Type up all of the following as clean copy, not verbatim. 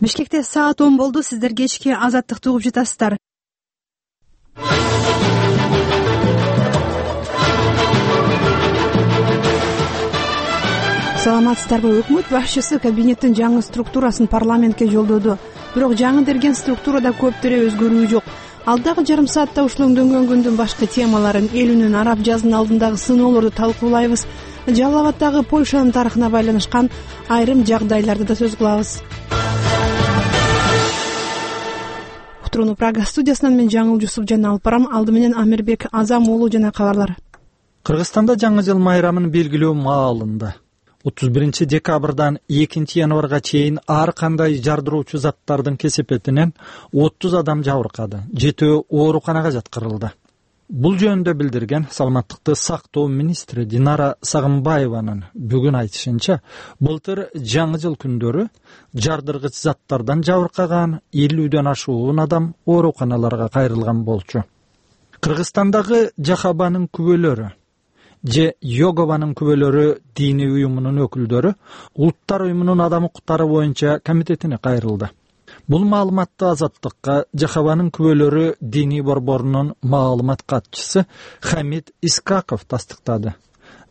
Бишкекте саат 10 болду. Сиздер кечки Азаттыкты угуп жатасыздар. Саламатсыздарбы? Өкмөт башчысы кабинеттин жаңы структурасын парламентке жолдоду. Бирок жаңы берген структурада көптөрө өзгөрүү жок. Алдагы жарым саатта ушул өңдөнгөн күндүн башкы темаларын, эл үнүн, араб жазынын алдындагы сыноолорду талкуулайбыз. Жалал Абаддагы Польшанын тарыхына байланышкан айрым жагдайларды да сөз кылабыз. Утурууну Прага студиясынан мен Жаңыл Жусупжан алып барам. Алды менен Амирбек Азам уулу жана кабарлар. Кыргызстанда жаңы жыл майрамын белгилөө маалында 31 декабрдан 2 январга чейин ар кандай жардыруучу заттардын кесепетинен 30 адам жабыркады, 7 ооруканага жаткырылды. Бул жөнүндө билдирген саламаттыкты сактоо министри Динара Сагынбаеванын бүгүн айтышынча, былтыр жаңы жыл күндөрү жардыргыч заттардан жабыркаган 50дөн ашуун адам ооруканаларга кайрылган болчу. Кыргызстандагы Жахабанын күбөлөрү же Йогованын күбөлөрү диний уюмунун өкүлдөрү Улуттар уюмунун адам укуктары боюнча комитетине кайрылды. Бул маалыматты Азаттыкка Жахабанын күбөлөрү диний борборунун маалымат катчысы Хамид Искаков тастыктады.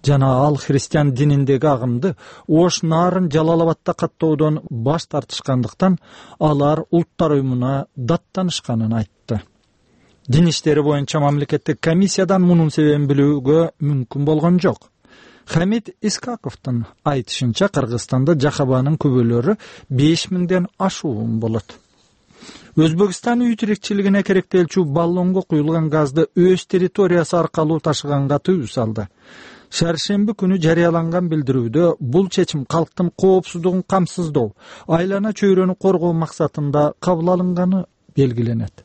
Жана ал христиан дининдеги агымды Ош нарын Жалал Абадда каттоодон баш тартышкандыктан алар Улуттар уюмуна даттанышканын айтты. Дин иштери боюнча мамлекеттик комиссиядан мунун себебин билүүгө мүмкүн болгон жок. Хамид Искаковдун айтышынча, Кыргызстанда Жахабанын күбөлөрү 5000ден ашуун болот. Өзбекстан үй тирикчилигине керектелчү баллонго куюлган газды өз территориясы аркылуу ташыганга тыюу салды. Шаршемби күнү жарыяланган билдирүүдө бул чечим калктын коопсуздугун камсыздоо, айлана чөйрөнү коргоо максатында кабыл алынганы белгиленет.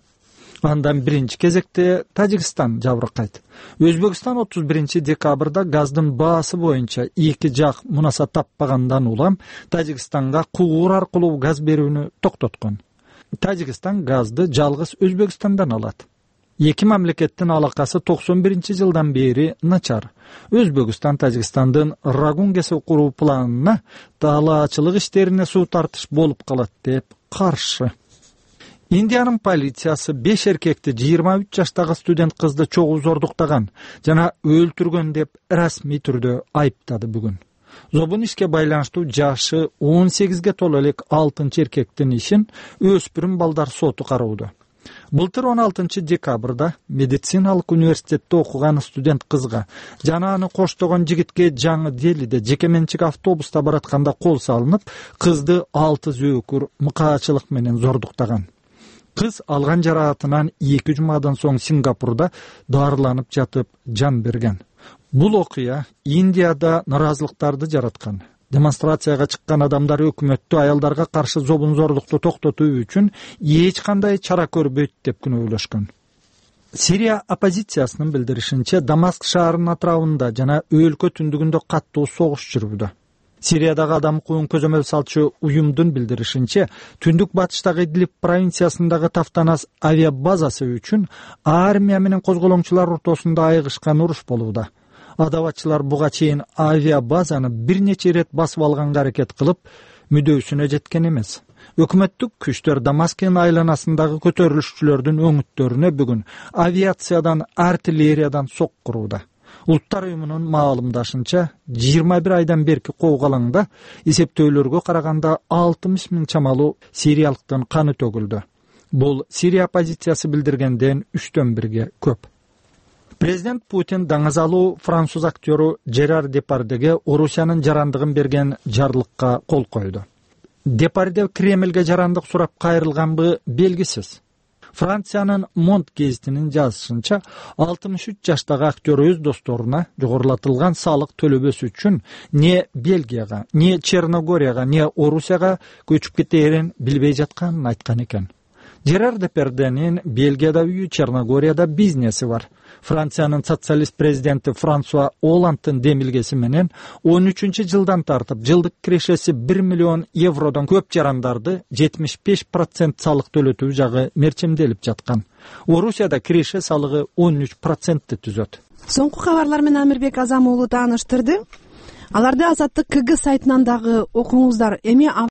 Андан биринчи кезекте Тажикстан жабыркайт. Өзбекстан 31 декабрда газдын баасы боюнча эки жак мунаса таппагандан улам Тажикстанга кугур аркылуу газ берүүнү токтоткон. Тажикстан газды жалгыз Өзбекстандан алат. Эки мамлекеттин алакасы 91-жылдан бери начар. Өзбекстан Тажикстандын Рагунгеси куруу планына таалаачылык иштерине суу тартыш болуп калат деп каршы. Индиянын полициясы 5 эркекти 23 жаштагы студент кызды чогуу зордуктаган жана өлтүргөн деп расмий түрдө айыптады бүгүн. Зобун ишке байланыштуу жашы 18ге толо элек 6 эркектин ишин өспүрүм балдар соту кароодо. Былтыр 16 декабрда медициналык университетте окуган студент кызга жана аны коштогон жигитке Жаңы Делиде жеке менчик автобуста баратканда кол салынып, кызды 6 зөөкүр мыкаачылык менен зордуктаган. Кыз алган жараатынан 2 жумадан соң Сингапурда дарыланып жатып жан берген. Бул окуя Индияда наразылыктарды жараткан. Демонстрацияга чыккан адамдар өкмөттү аялдарга каршы зобун зордукту токтотуу үчүн эч кандай чара көрбөйт деп күнөөлөшкөн. Сирия оппозициясынын билдиришинче, Дамаск шаарынын атырабында жана өлкө түндүгүндө каттуу согуш жүрүүдө. Сириядагы адам укугун көзөмөл салчу уюмдун билдиришинче, түндүк батыштагы Идлиб провинциясындагы Тафтанас авиабазасы үчүн армия менен козголоңчулар ортосунда айыгышкан уруш болууда. Адабатчылар буга чейин авиабазаны бир нече ирет басып алганга аракет кылып, мүдөөсүнө жеткен эмес. Өкмөттүк күчтөр Дамаскын айланасындагы көтөрүлүшчүлөрдүн өңүттөрүнө бүгүн авиациядан, артиллериядан сок курууда. Улуттар уюмунун маалымдашынча, 21 айдан берки коогалаңда эсептөөлөргө караганда 60 000 чамалуу сириялыктын каны төгүлдү. Бул Сирия оппозициясы билдиргенден 3/1 көп. Президент Путин даңазалуу француз актёру Жерар Депардеге Орусиянын жарандыгын берген жарлыкка кол койду. Депарде Кремлге жарандык сурап кайрылганбы белгисиз. Франциянын Монт гезитинин жазышынча, 63 жаштагы актер өз досторуна жогорулатылган салык төлөбөсү үчүн не Бельгияга, не Черногорияга, не Орусияга көчүп кетээрин билбей жатканын айткан экен. Жерар Депарденин Бельгияда үйү, Черногорияда бизнеси бар. Франциянын социалист президенти Франсуа Олландтын демилгеси менен 13-жылдан тартып жылдык кирешеси 1 миллион евродон көп жарандарды 75% салык төлөтүү жагы мерчемделип жаткан. Орусияда киреше салыгы 13%-ти түзөт. Соңку кабарлар менен Амирбек Азам уулу тааныштырды. Аларды Азаттык КГ сайтынан дагы окуңуздар. Эми